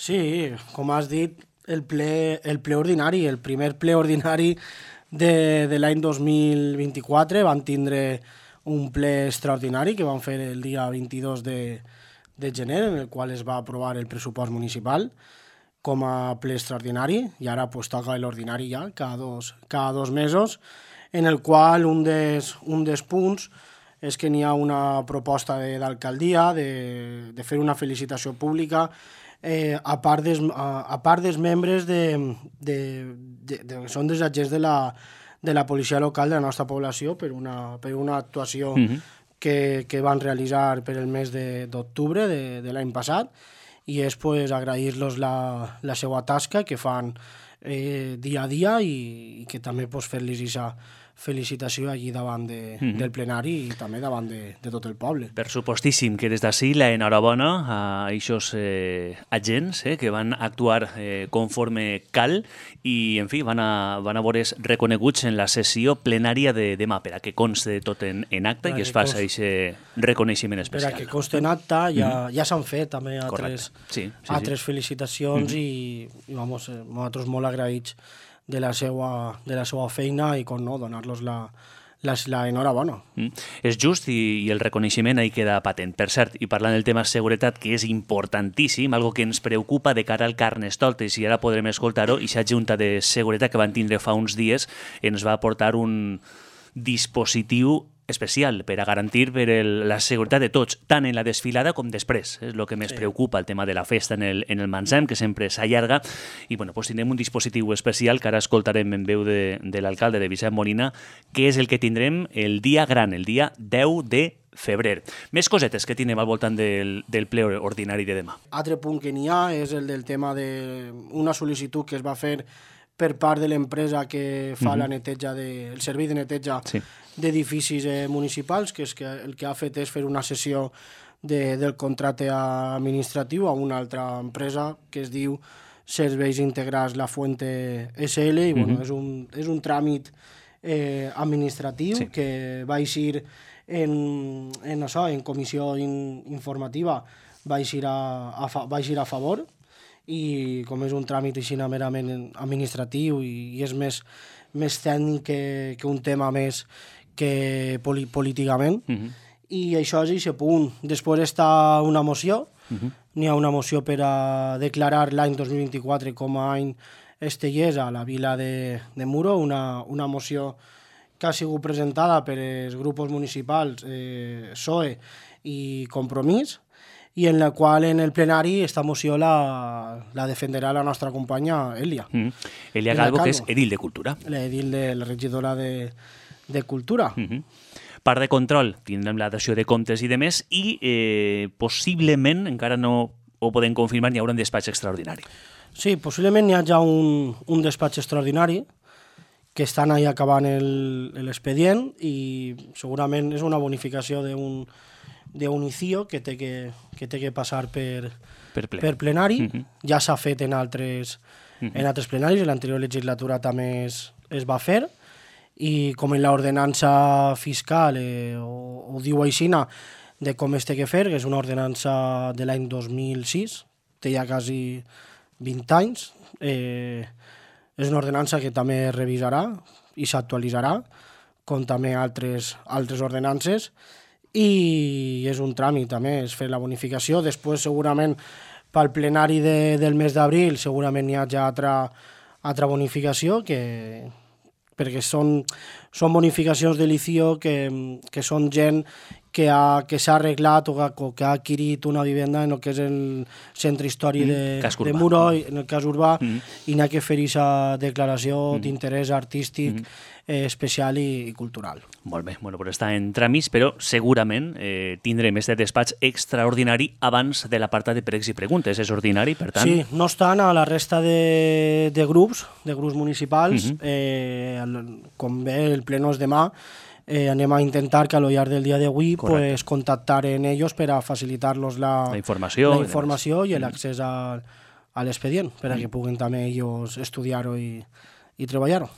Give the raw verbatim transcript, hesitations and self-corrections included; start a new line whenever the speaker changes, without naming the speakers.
Sí, com has dit, el ple, el ple ordinari, el primer ple ordinari de, de l'any dos mil vint-i-quatre van tindre un ple extraordinari que van fer el dia vint-i-dos de, de gener, en el qual es va aprovar el pressupost municipal com a ple extraordinari, i ara pues, toca l'ordinari ja, cada dos, cada dos mesos, en el qual un dels, un dels punts és que n'hi ha una proposta de, d'alcaldia de, de fer una felicitació pública eh, a, part des, a, a part dels membres de, de, de, de, que són dels agents de la, de la policia local de la nostra població per una, per una actuació mm-hmm. que, que van realitzar per el mes de, d'octubre de, de l'any passat, i és pues, agrair-los la, la seva tasca que fan eh, dia a dia i, i que també pues, fer-los aquesta felicitació allí davant de, mm-hmm. del plenari i també davant de, de tot el poble.
Per supostíssim que des d'ací la enhorabona a aquests eh, agents eh, que van actuar eh, conforme cal i, en fi, van a, van a veure's reconeguts en la sessió plenària de demà, per a que conste tot en, en acte i que es faci aquest reconeixement especial.
Per a que conste en acte, ja, mm-hmm. ja s'han fet també altres,
sí, sí,
altres
sí.
felicitacions mm-hmm. i, i vamos, eh, nosaltres molt agraïts de la seva, de la seva feina i, com no, donar-los la, la, la enhorabona.
Mm. És just i, i el reconeixement ahí queda patent. Per cert, i parlant del tema seguretat, que és importantíssim, algo que ens preocupa de cara al Carnestoltes, i ara podrem escoltar-ho, i aquesta junta de seguretat que van tindre fa uns dies ens va aportar un dispositiu especial per a garantir per el, la seguretat de tots, tant en la desfilada com després. És el que més sí. preocupa, el tema de la festa en el, en el Mansem, que sempre s'allarga, i bueno, pues tindrem un dispositiu especial que ara escoltarem en veu de, de l'alcalde de Vicent Molina, que és el que tindrem el dia gran, el dia deu de febrer. Més cosetes que tindrem al voltant del, del ple ordinari de demà.
Altre punt que n'hi ha és el del tema d'una sol·licitud que es va fer per part de l'empresa que fa mm-hmm. la neteja de, el servei de neteja sí. d'edificis eh, municipals, que, és que el que ha fet és fer una cessió de, del contracte administratiu a una altra empresa que es diu Serveis Integrats La Fuente S L, i bueno, mm-hmm. és, un, és un tràmit eh, administratiu sí. que va eixir en, en, això, en comissió in, informativa, va eixir a, a, va eixir a favor, i com és un tràmit així merament administratiu i, i és més, més tècnic que, que un tema més que poli, políticament, uh-huh. i això és aquest punt. Després està una moció, uh-huh. n'hi ha una moció per a declarar l'any dos mil vint-i-quatre com a any estellers a la vila de, de Muro, una, una moció que ha sigut presentada per els grups municipals eh, P S O E i Compromís, i en la qual en el plenari esta moció la, la defenderà la nostra companya Elia.
Mm. Elia Calvo, que és edil de Cultura.
L'edil de la regidora de, de Cultura.
Mm-hmm. Part de control, tindrem la dació de comptes i de més, i eh, possiblement, encara no ho podem confirmar, n'hi haurà un despatx extraordinari.
Sí, possiblement n'hi ha ja un, un despatx extraordinari que estan ahí acabant el, l'expedient, i segurament és una bonificació d'un d'un I C I O que té que, que, té que passar per,
per, ple.
per plenari.
Mm-hmm.
Ja s'ha fet en altres, mm-hmm. en altres plenaris, en l'anterior legislatura també es, es va fer, i com en l'ordenança fiscal eh, ho, ho diu aixina de com es té que fer, que és una ordenança de l'any dos mil sis, té ja quasi vint anys, eh, és una ordenança que també es revisarà i s'actualitzarà, com també altres, altres ordenances, i és un tràmit també, és fer la bonificació. Després segurament pel plenari de, del mes d'abril segurament hi ha ja altra, altra bonificació, que, perquè són, són bonificacions de l'I C I O que, que són gent que, ha, que s'ha arreglat o que, que ha adquirit una vivenda en el que és el centre històric de,
mm,
de Muro, en el cas urbà,
mm.
i n'hi ha que fer aquesta declaració mm. d'interès artístic
mm.
eh, especial i, i cultural.
Molt bé, bueno, però està en tràmits, però segurament eh, tindrem este despatx extraordinari abans de l'apartat de pregs i preguntes. És ordinari, per tant?
Sí, no estan a la resta de, de grups, de grups municipals. Mm-hmm. eh, com bé el pleno és demà, eh, anem a intentar que a lo llarg del dia d'avui pues, contactar en ells per a facilitar-los la,
la informació,
la informació i, i l'accés a, a l'expedient, per a que puguin també ells estudiar-ho i, i treballar-ho.